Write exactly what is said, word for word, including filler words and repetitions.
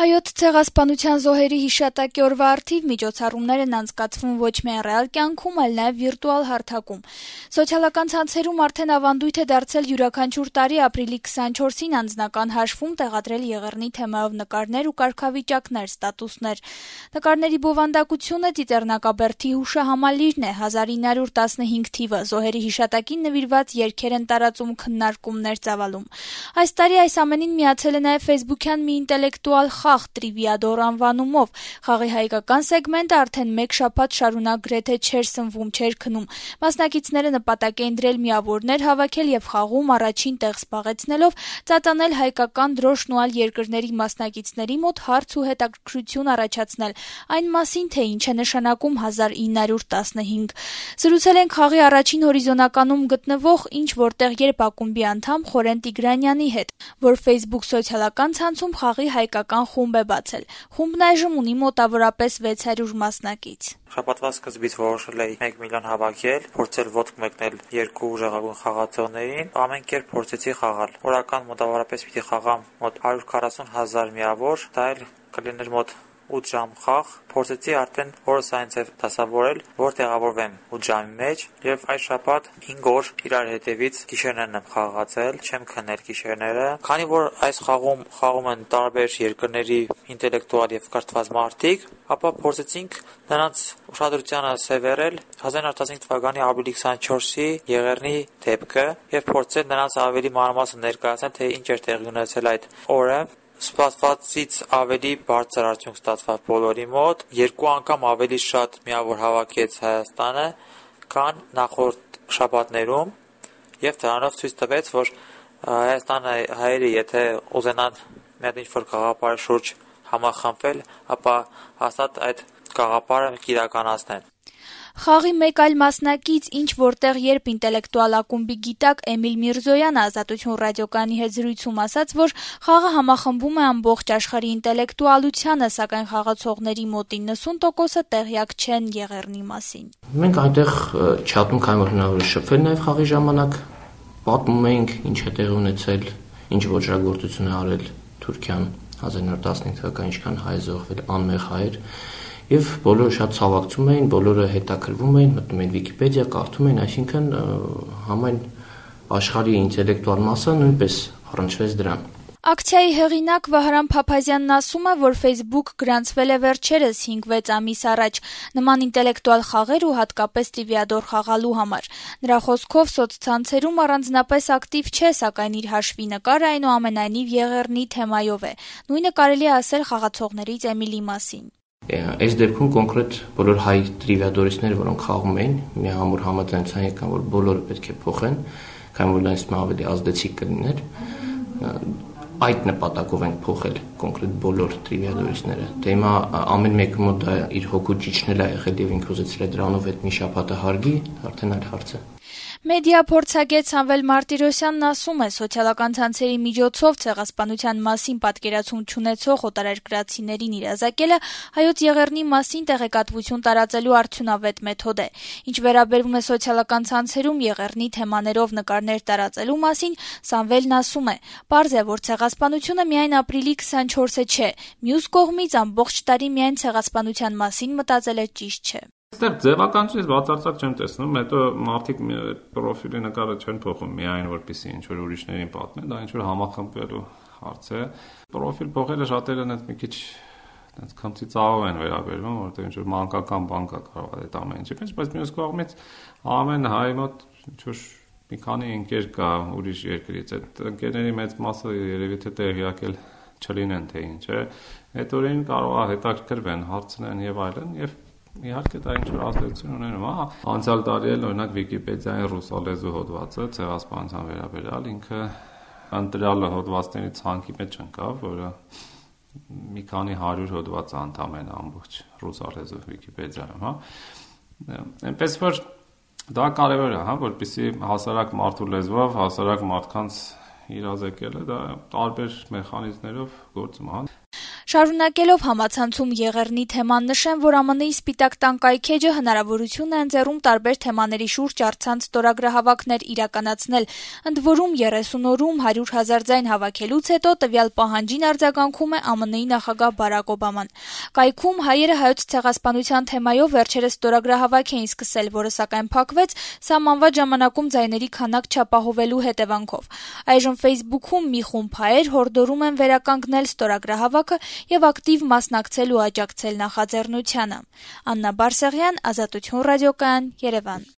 Հայոց ցեղասպանության զոհերի հիշատակի օրվա առթիվ միջոցառումներ են անցկացվում ոչ միայն ռեալ կյանքում, այլ նաև վիրտուալ հարթակում։ Սոցիալական ցանցերում արդեն ավանդույթ է դարձել յուրաքանչյուր տարի ապրիլի քսանչորսին անձնական հաշվում տեղադրել Եղեռնի թեմայով նկարներ ու կարգավիճակներ, ստատուսներ։ Նկարների բովանդակությունը Ծիծեռնակաբերդի հուշահամալիրն է, հազար ինը հարյուր տասնհինգ թիվը, զոհերի հիշատակին նվիրված երգեր են տարածում, քննարկումներ ծավալում։ Այս տարի այս ամենին միացել է նաև ֆեյսբուքյան մի ինտելեկտուալ խաղ Տրիվիադոր անվանումով։ Խաղի հայկական սեգմենտը արդեն մեկ շաբաթ շարունակ գրեթե չէր սնվում, չէր քնում։ Մասնակիցները նպատակ էին դրել միավորներ հավաքել եւ խաղում առաջին տեղ զբաղեցնելով ծածանել հայկական դրոշն ու այլ երկրների մասնակիցների մոտ հարց ու հետաքրքրություն առաջացնել այն մասին, թե ինչ է նշանակում հազար ինը հարյուր տասնհինգ։ Զրուցել ենք խաղի առաջին հորիզոնականում գտնվող ինչ որտեղ երբ ակումբի անդամ Խորեն Տիգրանյանի հետ, որ Facebook սոցիալական ցանցում խաղի հայկական խումբ է բացել։ Խումբն այժմ ունի մոտավորապես վեց հարյուր մասնակից։ Շաբաթվա սկզբից որոշել էի մեկ միլիոն հավաքել, փորձել ոտք մեկնել երկու ուժեղագույն խաղացողներին, ամեն կերպ փորձեցի խաղալ։ Օրական մոտավորապես պիտի խաղամ մոտ հարյուր քառասուն հազար միավոր, դա էլ կլիներ մոտ ութ ժամ խաղ, փորձեցի արդեն օրս այնցև դասավորել, որ տեղավորվեմ ութ ժամի մեջ եւ այս շաբաթ հինգ օր իրար հետևից գիշերներն եմ խաղացել, չեմ քնել գիշերները, քանի որ այս խաղում խաղում են տարբեր երկրների ինտելեկտուալ եւ կրթված մարդիկ, ապա փորձեցինք նրանց ուշադրությանը սևեռել հազար ինը հարյուր տասնհինգ թվականի ապրիլի քսանչորսի Եղեռնի դեպքը եւ փորձել նրանց ավելի մանրամասն ներկայացնել, թե ինչ էր տեղի ունեցել այդ օրը։ Սպասվածից ավելի բարձր արդյունք ստացավ բոլորի մոտ, երկու անգամ ավելի շատ միավոր հավաքեց Հայաստանը, քան նախորդ շաբաթներում, եւ դրանով ցույց տվեց, որ Հայաստանը հայերը եթե ուզենան մի հատ ինչ-որ գաղափարի շուրջ համախմբվել, ապա հաստատ այդ գաղափարը կիրականացնեն։ Խաղի մեկ այլ մասնակից ինչ որտեղ երբ ինտելեկտուալ ակումբի գիտակ Էմիլ Միրզոյանը Ազատություն ռադիոկայանի հետ զրույցում ասաց, որ խաղը համախմբում է ամբողջ աշխարհի ինտելեկտուալությանը, սակայն խաղացողների մոտ իննսուն տոկոսը տեղյակ չեն Եղեռնի մասին։ Մենք այնտեղ չաթում քանի որ հնարավոր է շփվել նաև խաղի ժամանակ, պատմում էինք ինչ է տեղի ունեցել, ինչ ոճրագործություն է արել Թուրքիան հազար ինը հարյուր տասնհինգ թվականին, ինչքան հայ զոհվել, անմեղ հայեր։ Եվ բոլորը շատ ցավակցում էին, բոլորը հետաքրվում էին, մտնում էին Վիկիպեդիա, կարդում էին, այսինքն համայն աշխարհի ինտելեկտուալ մասը նույնպես առնչվեց դրան։ Ակցիայի հեղինակ Վահրամ Փափազյանն ասում է, որ Facebook գրանցվել է վերջերս հինգ-վեց ամիս առաջ նման ինտելեկտուալ խաղեր ու հատկապես Տրիվիադոր խաղալու համար։ Նրա խոսքով սոցցանցերում առանձնապես ակտիվ չէ, սակայն իր հաշվի նկարը այնուամենայնիվ Եղեռնի թեմայով է։ Նույնը կարելի է ասել խաղացողներից Էմիլի մասին։ Այս դեպքում կոնկրետ բոլոր հայ տրիվիադորիստները, որոնք խաղում էին, միահամուռ համաձայնության եկան, որ բոլորը պետք է փոխեն, քանի որ դրանից ավելի ազդեցիկ կլիներ։ Այդ նպատակով ենք փոխել կոնկրետ բոլոր տրիվիադորիստները։ Դե հիմա ամեն մեկը մոտ դա իր հոգու ճիճնել է եղել եւ ինքը ուզեցել է դրանով այդ մի շաբաթը հարգի, արդեն այլ հարց է։ Մեդիա փորձագետ Սամվել Մարտիրոսյանն ասում է, սոցիալական ցանցերի միջոցով ցեղասպանության մասին պատկերացում չունեցող օտարերկրացիներին իրազեկելը հայոց Եղեռնի մասին տեղեկատվություն տարածելու արդյունավետ մեթոդ է։ Ինչ վերաբերում է սոցիալական ցանցերում Եղեռնի թեմաներով նկարներ տարածելու մասին, Սամվելն ասում է. «Պարզ է, որ ցեղասպանությունը միայն ապրիլի քսանչորսը չէ, մյուս կողմից ամբողջ տարի միայն ցեղասպանության մասին մտածելը ճիշտ չէ»։ Այստեղ ձևականությունից բացարձակ չեմ տեսնում, հետո մարդիկ պրոֆիլի նկարը չեն փոխում միայն որպեսզի ինչ-որ ուրիշներին պատմեն, դա ինչ-որ համախմբվելու հարց է։ Պրոֆիլ փոխելը շատերն այդ մի քիչ այնց քմծիծաղով են վերաբերվում, որովհետև ինչ-որ մանկական բան կա կարող է այդ ամեն ինչը, բայց մյուս կողմից ամեն հայ մոտ ինչ-որ մի քանի ընկեր կա ուրիշ երկրից, այդ ընկերների մեծ մասը երևի թե տեղյակ էլ չլինեն թե ինչ է, այդ օրերին կարող է հետաքրքրվեն, հարցնեն եւ այլն եւ իհարկե դա ինչ-որ ազդեցություն ունենում, հա։ Անցյալ տարի էլ օրինակ Վիկիպեդիայի ռուսալեզու հոդվածը ցեղասպանության վերաբերյալ ինքը ընտրյալ հոդվածների ցանկի մեջ ընկավ, որը մի քանի հարյուր հոդված անդամ են ամբողջ ռուսալեզու Վիկիպեդիայում, հա։ Այնպես որ դա կարևոր է, հա, որպեսզի հասարակ մարդու լեզվով հասարակ մարդկանց իրազեկելը դա տարբեր մեխանիզմներով գործում է, հա։ Շարունակելով համացանցում Եղեռնի թեման նշեմ, որ Ամն Ի Սպիտակ տան կայքէջը հնարավորություն է ընձեռում տարբեր թեմաների շուրջ առցանց ստորագրահավաքներ իրականացնել, ընդ որում երեսուն օրում հարյուր հազար ձայն հավաքելուց հետո տվյալ պահանջին արձագանքում է Ամն Ի նախագահ Բարակ Օբաման։ Կայքում հայերը Հայոց ցեղասպանության թեմայով վերջերս ստորագրահավաք էին սկսել, որը սակայն փակվեց սահմանված ժամանակում ձայների քանակ չապահովելու հետևանքով։ Այժմ Facebook-ում մի խումբ հայեր հորդորում են վերականգնել ստորագրահավաքը եւ ակտիվ մասնակցել ու աջակցել նախաձեռնությանը։ Աննա Բարսեղյան, Ազատություն ռադիոկայան, Երևան։